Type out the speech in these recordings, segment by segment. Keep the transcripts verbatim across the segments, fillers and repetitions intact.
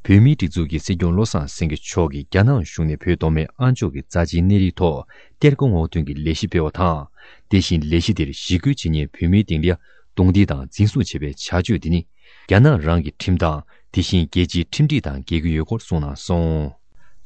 བོད་མིའི་སྒྲིག་འཛུགས་ཀྱི་སྲིད་སྐྱོང་བློ་བཟང་སེང་གེ་མཆོག་གིས་རྒྱ་ནག་གཞུང་ནས་བོད་མདོ་སྨད་ཨ་མཆོག་གི་རྩ་ཆེའི་གནས་རིའི་ཐོག་གཏེར་སྒོ་སྔོག་འདོན་གྱི་ལས་གཞི་སྤེལ་བ་དང་། དེ་བཞིན་ལས་གཞི་དེར་ཞི་རྒོལ་བྱེད་མཁན་བོད་མིའི་སྟེང་ལ་རྡུང་རྡེག་དང་འཛིན་བཟུང་བྱས་པའི་བྱ་སྤྱོད་འདི་ནི། རྒྱ་ནག་རང་གི་ཁྲིམས་དང་། དེ་བཞིན་རྒྱལ་སྤྱིའི་ཁྲིམས་སྒྲིག་དང་འགལ་གྱི་ཡོད་སྐོར་གསུངས་གནང་སོང་།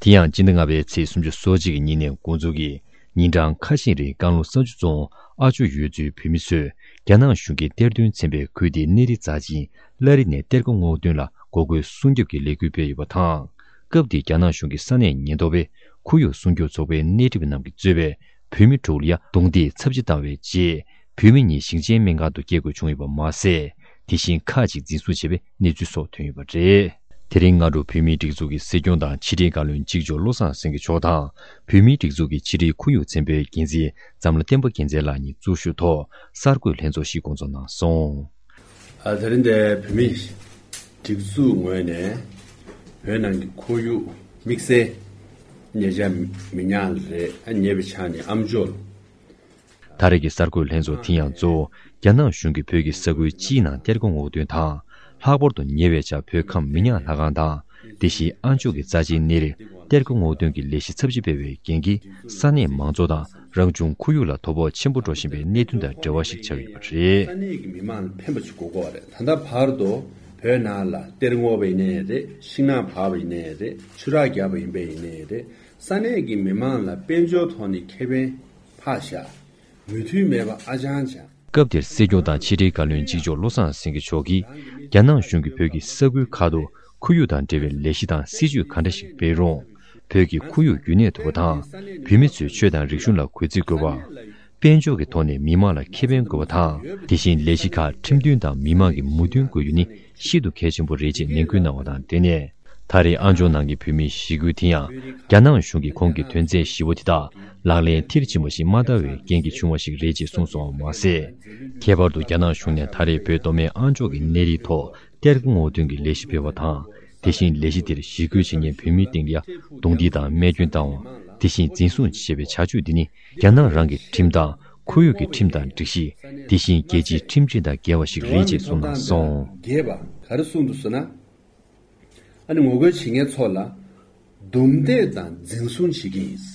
དེ་ཡང་སྤྱི་ཟླ་ལྔ་པའི་ཚེས་སུམ་ཅུ་སོ་གཅིག་གི་ཉིན་ནས་འགོ་འཛུགས་ཀྱིས། ཉིན་གྲངས་ཁ་ཤས་རིང་རྐང་ལོ་ས་ཆུ་རྫོང་ཨ་མཆོག་ཡུལ་ཚོའི་བོད་མི་ཚོས་རྒྱ་ནག་གཞུང་གིས་གཏེར་འདོན་ཚན་པའི་ཁུལ་དེའི་གནས་རི་རྩ་ཆེན་བླ་རི་ནས་གཏེར་སྒོ་སྔོག་འདོན་ལ་འགོག་རྒོལ་སྲུང་སྐྱོབ་ཀྱི་ལས་འགུལ་སྤེལ་ཡོད་པ་དང་། སྐབས་དེར་རྒྱ་ནག་གཞུང་གི་ས་གནས་ཉེན་རྟོག་པས་ཁོར་ཡུག་སྲུང་སྐྱོབ་ཚོགས་པའི་སྣེ་ཁྲིད་པ་རྣམས་ཀྱིས་གཙོས་པའི་བོད་མི་དྲུག་ལ་ཡ་རྡུང་རྡེག་ཚབས་ཆེ་བཏང་བའི་རྗེས། བོད་མི་གཉིས་ཞིང་ཆེན་སྨན་ཁང་དུ་སྐྱེལ་དགོས་བྱུང་ཡོད་པ་མ་ཟད། དེ་བཞིན་ཁག་ཅིག་འཛིན་བཟུང་བྱས་པའི་གནས་ཚུལ་སོགས་ཐོན་ཡོད་པ་རེད། དེ་རིང་སྔ་དྲོ་བོད་མིའི་སྒྲིག་འཛུགས་ཀྱི་སྲིད་སྐྱོང་དང་ཕྱི་དྲིལ་བཀའ་བློན་གཅིག་ལྕོགས་བློ་བཟང་སེང་གེ་མཆོག་དང་། བོད་མིའི་སྒྲིག་འཛུགས་ཀྱི་ཕྱི་དྲིལ་ཁོར་ཡུག་ཚན་པའི་འགན་འཛིན་འཛམ་ལྷ་བསྟན་པ་རྒྱལ་མཚན་ལགས་གཉིས་གཙོ་བཞུགས་ཐོག་གསར་འགོད་ལྷན་ཚོགས་ཤིག་བསྐོང་ཚོགས་གནང་སོང་། ཨ། དེ་རིང་འདིར་བོད་མིའི་སྒྲིག་འཛུགས་ངོས་ནས་བོད་ནང་གི་ཁོར་ཡུག་དམིགས་བསལ་ཉེ་ཆར་མི་ཉག་རེད། ཨ། ཉེ་བའི་ཆར་ནས་ཨ་མཆོག་ལ། ད་རེས་ཀྱི་གསར་འགོད་ལྷན་ཚོགས་དེ་ཡང་གཙོ་བོ་རྒྱ་ནག་གཞུང་གིས་བོད་ཀྱི་ས་ཁུལ་སྤྱིའི་ནང་གཏེར་སྒོ་སྔོག་འདོན་དང་། ལྷག་པར་དུ་ཉེ་བའི་ཆར་བོད་ཁམས་མི་ཉག་ལྷ་ཁང་དང་། དེ་བཞིན་ཨ་མཆོག་གི་རྩ་ཆེའི་གནས་རི་གཏེར་སྒོ་སྔོག་འདོན་གྱི་ལས་གཞི་ཚབས་ཆེ་སྤེལ་བའི་རྐྱེན་གྱིས། ས་གནས་མང་ཚོགས་དང་རང་བྱུང་ཁོར་ཡུག་ལ་དོ་ཕོག་ཆེན་པོ་འགྲོ་བཞིན་པའི་གནད་དོན་དང་འབྲེལ་བ་ཞིག་ཆགས་ཡོད་པ་རེད། ས་གནས་ཀྱི་མི་མང་ལ་ཕན་པ་ཞིག་དགོས་ཀྱི་ཡོད་རེད། ད་ལྟ་བར་དུ་བོད་ནང་ལ་གཏེར་སྔོག་པ་ཡིན་ནའི་རེད། ཤིང་ནགས་འཕར་བ་ཡིན་ནའི་རེད། ཆུ་རགས་བརྒྱབ་པ་ཡིན་པ་ཡིན་ནའི་རེད། ས་གནས་ཀྱི་མི་མང་ལ་དཔལ་འབྱོར་ཐོག་ནས་ཁེ་ཕན་ཕར་བཞག་མོས་མཐུན་མེད་པ་ཨ་ཅང་ཅང་། སྐབས་དེར་སྲིད་སྐྱོང་དང་ཕྱི་དྲིལ་བཀའ་བློན་གཅིག་ལྕོགས་བློ་བཟང་སེང་གེ་མཆོག་གིས། རྒྱ་ནག་གཞུང་གིས་བོད་ཀྱི་ས་ཁུལ་ཁག་ཏུ་ཁོར་ཡུག་དང་འབྲེལ་བའི་ལས་གཞི་དང་སྲིད་ཇུས་ག་འདྲ་ཞིག་སྤེལ་རུང་། བོད་ཀྱི་ཁོར་ཡུག་རྒྱུན་གནས་ཐུབ་པ་དང་། བོད་མི་ཚོའི་ཆོས་དང་རིག་གཞུང་ལ་གུས་བརྩི་དགོས་པ། དཔལ་འབྱོར་གྱི་ཐོག་ནས་མི་དམངས་ལ་ཁེ་ཕན་དགོས་པ་དང་། དེ་བཞིན་ལས་གཞི་ཁག་ཁྲིམས་མཐུན་དང་མི་དམངས་ཀྱི་མོས་མཐུན་དགོས་རྒྱུ་ནི་ཤིན་ཏུ་གལ་ཆེན་པོ་རེད་ཅེས་ནན་སྐུལ་གནང་བ་དང་། དེ་ནས། ད་རེས་ཨ་མཆོག་ནང་གི་བོད་མིའི་ཞི་རྒོལ་དེ་ཡང་། རྒྱ་ནག་གཞུང་གིས་ཁོང་གི་དོན་ཚན་བཞི་པོ་དེ་དག་ལག་ལེན་མཐིལ་ཕྱིན་པ་ཞིག་མ་བསྟར་བའི་རྐྱེན་གྱིས་བྱུང་བ་ཞིག་རེད་ཅེས་གསུངས་སོང་བ་མ་ཟད། ཁྱད་པར་དུ་རྒྱ་ནག་གཞུང་ནས་ད་རེས་བོད་མདོ་སྨད་ཨ་མཆོག་གི་གནས་རིའི་ཐོག་གཏེར་སྒོ་སྔོག་འདོན་གྱི་ལས་གཞི་སྤེལ་བ་དང་། དེ་བཞིན་ལས་གཞི་དེར་ཞི་རྒོལ་བྱེད་མཁན་བོད་མིའི་སྟེང་ལ་རྡུང་རྡེག་དང་རྨས་སྐྱོན་བཏང་བ། དེ་བཞིན་འཛིན་བཟུང་བྱས་པའི་བྱ་སྤྱོད་འདི་ནི་རྒྱ་ནག་རང་གི་ཁྲིམས་དང་ཁོར་ཡུག་གི་ཁྲིམས་དང་སྒྲིག་གཞི། དེ་བཞིན་རྒྱལ་སྤྱིའི་ཁྲིམས་སྒྲིག་དང་འགལ་བ་ཞིག་རེད་ཅེས་གསུངས་གནང་སོང་། རྒྱས་པ་ག་རེ་གསུངས་འདུག་ཟེར་ན། ཨ་ནི་ངོ་རྒོལ་བྱེད་མཁན་ཚོ་ལ་རྡུང་རྡེག་དང་འཛིན་བཟུང་བྱེད་ཀྱི་ཡིན།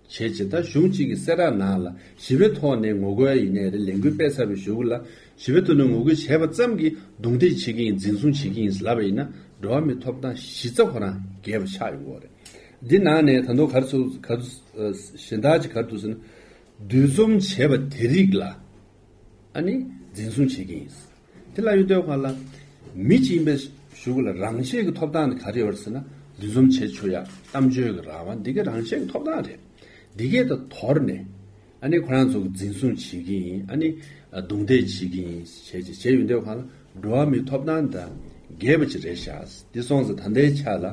བྱས་ཙང་ད་གཞུང་གཅིག་གི་གསལ་བསྒྲགས་ནང་ལ་ཞི་བའི་ཐོག་ནས་ངོ་རྒོལ་ཡིན་ནའི་རེད། ལས་འགུལ་སྤེལ་ཚར་བའི་གཞུག་ལ་ཞི་བའི་ཐོག་ནས་ངོ་རྒོལ་བྱས་པ་ཙམ་གྱིས་རྡུང་རྡེག་བྱེད་ཀྱི་ཡིན། འཛིན་བཟུང་བྱེད་ཀྱི་ཡིན་ལབ་པ་ཡིན་ན། འགྲོ་བ་མིའི་ཐོབ་ཐང་གཞི་རྩ་ཁོ་རང་འགལ་བ་ཆགས་ཡོང་གི་རེད། འདི་ནང་ནས་ད་དུང་ག་རེ་ཚུགས་ག་རེ་གཞན་དག་ཅིག་ག་རེ་འདུག་ཟེར་ན། འདུ་འཛོམས་བྱས་པ་དེ་རིགས་ལ་ཨ་ནི་འཛིན་བཟུང་བྱེད་ཀྱི་ཡིན། དེ་ལ་ཡོད་དོ་ག་ལ། མི་གཅིག་ཡིན་པའི་གཞུག་ལ་རང་ཆས་ཀྱི་ཐོབ་ཐང་དེ་ག་རེ་ཡོད་རེད་ཟེར་ན། འདུ་འཛོམས་བྱེད་ཆོག་ཡ། གཏམ་བརྗོད་ཀྱི་རང་དབང་འདི་གའི་རང་ཆས་ཀྱི་ཐོབ་ཐང་རེད། འདི་གའི་ད་དོར་ནས་ཨ་ནི་ཁོ་རང་ཚོ་གི་འཛིན་བཟུང་བྱེད་ཀྱི་ཡིན། ཨ་ནི་རྡུང་རྡེག་བྱེད་ཀྱི་ཡིན་བྱས་བྱས་བྱས་ཡོད་དོ་ག་ལ། འགྲོ་བ་མིའི་ཐོབ་ཐང་དང་འགལ་བ་ཅིག་རེད་ཤག་འདི་སོང་ཙང་ད་ལྟའི་ཆ་ལ།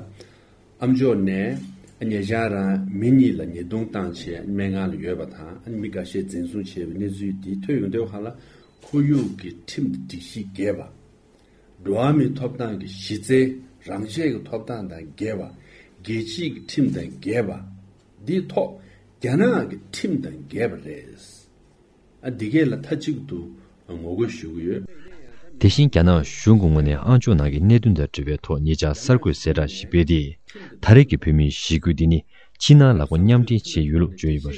ཨ་མཆོག་ནས་ཉེ་ཆར་རང་མི་གཉིས་ལ་ཉེས་རྡུང་བཏང་བྱས་སྨན་ཁང་ལ་ཡོད་པ་དང་། ཨ་ནི་མི་འགའ་ཤས་འཛིན་བཟུང་བྱས་པའི་གནས་ཚུལ་འདི་ཐོན་ཡོང་དུས་སྒང་ལ། ཁོར་ཡུག་གི་ཁྲིམས་དང་སྒྲིག་གཞི་འགལ་བ། འགྲོ་བ་མིའི་ཐོབ་ཐང་གི་གཞི་རྩའི་རང་ཆས་ཀྱི་ཐོབ་ཐང་དང་འགལ་བ། རྒྱལ་སྤྱིའི་ཁྲིམས་དང་འགལ་བ། འདིའི་ཐོག་རྒྱ་ནག་གི་ཁྲིམས་དང་འགལ་བ་རེད། ཨ། འདི་གས་ལ་མཐའ་གཅིག་ཏུ་ངོ་རྒོལ་ཞུ་གི་ཡོད། དེ་བཞིན་རྒྱ་ནག་གཞུང་གི་ངོས་ནས་ཨ་མཆོག་ནང་གི་གནད་དོན་དང་འབྲེལ་བའི་ཐོག་ཉེ་ཆར་གསར་འགོད་གསལ་བསྒྲགས་ཤིག་སྤེལ་ཏེ། ད་རེས་ཀྱི་བོད་མིའི་ཞི་རྒོལ་འདི་ནི་ཕྱི་ནང་ལག་པ་མཉམ་འབྲེལ་བྱས་ཡོད་ལུགས་བརྗོད་ཡོད་པ་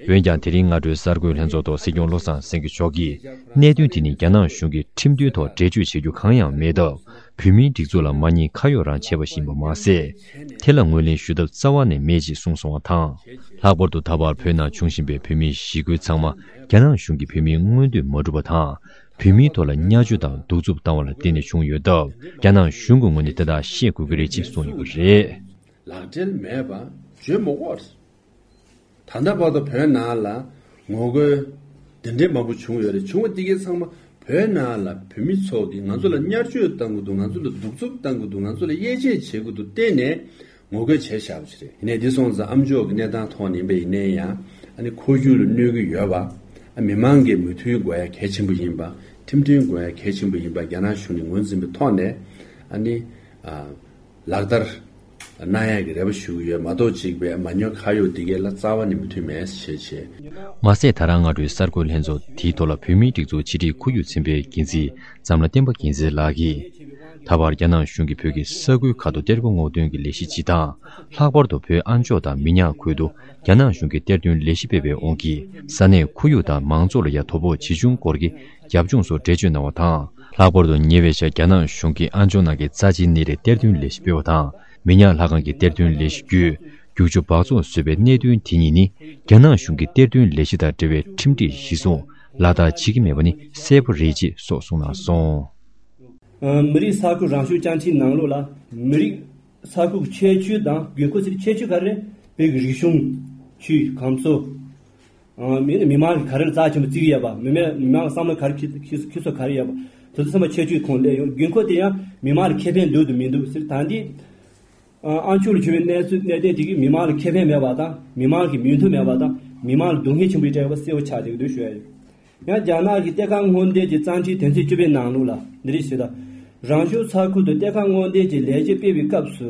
རེད། འོན་ཀྱང་དེ་རིང་སྔ་དྲོའི་གསར་འགོད་ལྷན་ཚོགས་ཐོག་སྲིད་སྐྱོང་བློ་བཟང་སེང་གེ་མཆོག་གིས། གནད་དོན་དེ་ནི་རྒྱ་ནག་གཞུང་གིས་ཁྲིམས་མཐུན་ཐོག་འགྲེལ་བརྗོད་བྱེད་རྒྱུ་གང་ཡང་མེད་སྟབས། བོད་མིའི་སྒྲིག་འཛུགས་ལ་མ་ཉེས་ཁ་གཡོག་རང་བྱས་པ་ཞིག་ཡིན་པ་མ་ཟད། དེ་ལ་ངོས་ལེན་ཞུ་ཐབས་རྩ་བ་ནས་མེད་ཅེས་གསུངས་སོང་བ་དང་། ལྷག་པར་དུ་ད་བར་བོད་ནང་བྱུང་བཞིན་པའི་བོད་མིའི་ཞི་རྒོལ་ཚང་མ་རྒྱ་ནག་གཞུང་གིས་བོད་མིའི་མངོན་འདོད་མ་འགྲུབ་པ་དང་། བོད་མིའི་ཐོག་ལ་བརྙས་བཅོས་དང་གདུག་རྩུབ་བཏང་བ་ལ་བརྟེན་ནས་བྱུང་ཡོད་སྟབས། རྒྱ་ནག་གཞུང་གི་ངོས་ནས་དེ་དག་ཤེས་དགོས་ཀྱི་རེད་ཅེས་གསུངས་ཡོད་པ་རེད། ལག་འབྲེལ་མེད་པ་བརྗོད་མི་དགོས། ད་ལྟ་བར་དུ་བོད་ནང་ལ་ངོ་རྒོལ་དེ་འདྲའི་མང་པོ་བྱུང་ཡོད་རེད། བྱུང་བ་འདི་གའི་ཚང་མ་བོད་ནང་ལ་བོད་མི་ཚོ་གིས་ང་ཚོ་ལ་བརྙས་བཅོས་བཏང་གི་འདུག་ང་ཚོ་ལ་གདུག་རྩུབ་བཏང་གི་འདུག་ང་ཚོ་ལ་དབྱེ་འབྱེད་བྱེད་ཀྱི་འདུག་བལྟས་ནས་ངོ་རྒོལ་བྱས་བཞག་པ་ཞིག་རེད། ཡིན་ནའི་འདི་སོང་ཙང་ཨ་མཆོག་གི་གནས་སྟངས་ཐོག་ནས་ཡིན་པ་ཡིན་ནའི་ཡང་། ཨ་ནི་ཁོར་ཡུག་ལ་གནོད་ཀྱི་ཡོད་པ། ཨ། མི་མང་གི་མོས་མཐུན་དགོས་ཡ་གལ་ཆེན་པོ་ཡིན་པ། ཁྲིམས་མཐུན་དགོས་ཡ་གལ་ཆེན་པོ་ཡིན་པ་རྒྱ་ནག་གཞུང་ནས་ངོས་འཛིན་པའི་ཐོག་ནས། ཨ་ནི། ཨ། ལག་བསྟར་གནང་ཡག་གི་རེ་བ་ཞུ་གི་ཡོད་མ་གཏོགས། གཅིག་པའི་མ་ཉེས་ཁ་གཡོག་འདི་གས་ལ་རྩ་བ་ནས་མོས་མཐུན་མེད་ཞེས་བྱས། མ་ཟད། ད་རང་སྔ་དྲོའི་གསར་འགོད་ལྷན་ཚོགས་དེའི་ཐོག་ལ་བོད་མིའི་སྒྲིག་འཛུགས་ཕྱི་དྲིལ་ཁོར་ཡུག་ཚན་པའི་འགན་འཛིན་འཛམ་ལྷ་བསྟན་པ་རྒྱལ་མཚན་ལགས་ཀྱིས། ད་བར་རྒྱ་ནག་གཞུང་གིས་བོད་ཀྱི་ས་ཁུལ་ཁག་ཏུ་གཏེར་སྒོ་སྔོག་འདོན་གྱི་ལས་གཞི་སྤྱི་དང་། ལྷག་པར་དུ་བོད་ཨ་མཆོག་དང་མི་ཉག་ཁུལ་དུ་རྒྱ་ནག་གཞུང་གིས་གཏེར་སྟོན་ལས་གཞི་སྤེལ་བའི་དབང་གིས། ས་གནས་ཁོར་ཡུག་དང་མང་ཚོགས་ལ་ཡང་དོ་ཕོག་ཇི་བྱུང་སྐོར་གྱི་རྒྱབ་ལྗོངས་སོགས་འགྲེལ་བརྗོད་གནང་བ་དང་། ལྷག་པར་དུ་ཉེ་བའི་ཆར་རྒྱ་ནག་གཞུང་གིས་ཨ་མཆོག་ནང་གི་རྩ་ཆེའི་གནས་རིའི་གཏེར་སྟོན་ལས་གཞི་སྤེལ་བ་དང་། མི་ཉག་ལྷ་ཁང་གི་གཏེར་སྟོན་ལས་གཞི་བརྒྱུད། རྒྱུག་ཆུ་སྦགས་བཙོག་བཟོས་པའི་གནད་དོན་དེ་གཉིས་ནི། རྒྱ་ནག་གཞུང་གིས་གཏེར་སྟོན་ལས་གཞི་དང་འབྲེལ་བའི་ཁྲིམས་སྒྲིག་གཞིར་བཟུང་ལག་བསྟར་བྱེད་ཀྱི་མེད་པ་ནི་གསལ་པོ་རེད་ཅེས་སོགས་གསུངས་གནང་སོང་། མི་རིགས་ས་ཁུལ་རང་སྐྱོང་བཅའ་ཁྲིམས་ནང་ལོགས་ལ། མི་རིགས་ས་ཁུལ་གྱི་ཁྱད་ཆོས་དང་དགོས་མཁོ་ཟེར། ཁྱད་ཆོས་ག་རེ་རེད། བོད་ཀྱི་རིག་གཞུང་། ཆོས། ཁམས་གསོ། མི་ནི་མི་མང་གི་ག་རེ་ལ་རྩ་ཆེན་པོ་བརྩི་གི་ཡོད་པ། མི་མང་མི་མང་གི་བསམ་བློ་ག་རེ་འཁྱེར་འཁྱེར་འཁྱེར་སོ་ག་རེ་ཡོད་པ། དེ་ཚོ་ཚང་མ་ཁྱད་ཆོས་ཁོངས་སླེབས་ཡོང་། དགོས་མཁོ་དེ་ཡང་མི་མང་ལ་ཁེ་ཕན་འདུག་དང་མི་འདུག་ཟེར། ད་འདི། ཨ་མཆོག་ལ་བྱུང་བའི་གནས་ཚུལ་གནད་དོན་དེ་གིས་མི་མང་ལ་ཁེ་ཕན་མེད་པ་དང་། མི་མང་གི་མོས་མཐུན་མེད་པ་དང་། མི་མང་ལ་སྡུག་བསྔལ་ཆེན་པོ་ཞིག་སྤྲད་ཡོད་པ་གསལ་པོ་ཆགས་བསྡད་ཀྱི་འདུག་ཞུ་ཡ་ཡིན། ཡང་རྒྱ་ནག་གི་གཏེར་ཁ་སྔོག་འདོན་གྱི་རྩ་ཁྲིམས་དོན་ཚན་བཅུ་པའི་ནང་ལོགས་ལ་འདི་རེད་ཞུས་ད། རང་སྐྱོང་ས་ཁུལ་དུ་གཏེར་ཁ་སྔོག་འདོན་གྱི་ལས་གཞི་སྤེལ་བའི་སྐབས་སུ།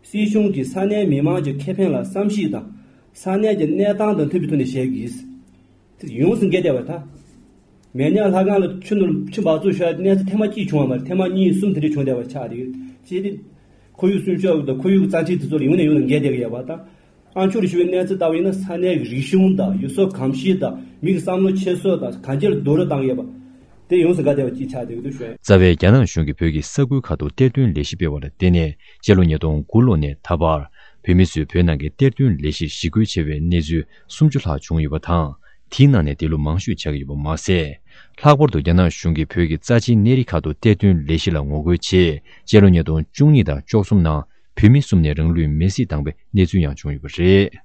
སྲིད་གཞུང་གིས་ས་གནས་མི་མང་གི་ཁེ་ཕན་ལ་བསམ་གཞིག་དང་། ས་གནས་ཀྱི་གནས་སྟངས་དང་མཐུན་པའི་ཐོག་ནས་བྱེད་དགོས། དེ་ཡོངས་སུ་འགལ་བསྡད་པ་དང་། མི་ཉག་ལྷ་ཁང་ལ་ཆུ་ནོར་ཆུ་སྦགས་བཙོག་བྱས་གནས་ཚུལ་ཐེངས་མ་གཅིག་བྱུང་བ་མ་རེད། ཐེངས་མ་གཉིས་གསུམ་དེ་འདྲ་བྱུང་བསྡད་པ་ཆགས་རེད། ཅེས་ཏེ། ཁོར་ཡུག་སྲུང་སྐྱོབ་དང་ཁོར་ཡུག་རྩ་ཁྲིམས་དེ་ཚོ་ལ་ཡོང་ནས་ཡོང་ནས་འགལ་བསྡད་ཀྱི་ཡོད་པ་དང་། ཨ་མཆོག་ལ་ཞུ་བའི་གནས་ཚུལ་ལྟ་བུ་ཡིན་ན། ས་གནས་ཀྱི་རིག་གཞུང་དང་ཡུལ་སྲོལ་གོམས་གཤིས་དང་མི་གི་བསམ་བློ་འཁྱེར་སོ་དང་གང་ཅིར་རྡོག་རོལ་བཏང་ཡོད་པ། དེ་ཡོངས་སུ་འགལ་བསྡད་པ་ཅིག་ཆགས་བསྡད་ཀྱི་འདུག་ཞུ། རྩ་བའི་རྒྱ་ནག་གཞུང་གིས་བོད་ཀྱི་ས་ཁུལ་ཁག་ཏུ་གཏེར་སྟོན་ལས་གཞི་སྤེལ་བ་ལ་བརྟེན་ནས། སྤྱི་ལོ་ཉིས་སྟོང་དགུ་ལོ་ནས་ད་བར། བོད་མི་ཚོས་བོད་ནང་གི་གཏེར་སྟོན་ལས་གཞིར་ཞི་རྒོལ་བྱས་པའི་གནས་ཚུལ་སུམ་ཅུ་ལྷག་བྱུང་ཡོད་པ་དང་། དེའི་ནང་ནས་འདི་ལོ་མང་ཤོས་ཆགས་ཀྱི་ཡོད་པ་མ་ཟད། ལྷག་པར་དུ་རྒྱ་ནག་གཞུང་གིས་བོད་ཀྱི་རྩ་ཆེའི་གནས་རི་ཁག་ཏུ་གཏེར་སྟོན་ལས་གཞི་ལ་ངོ་རྒོལ་ཆེད། སྤྱི་ལོ་ཉིས་སྟོང་བཅུ་གཉིས་དང་བཅུ་གསུམ་ནང་བོད་མི་གསུམ་ནས་རང་ལུས་མེར་སྲེག་བཏང་པའི་གནས་ཚུལ་ཡང་བྱུང་ཡོད་པ་རེད།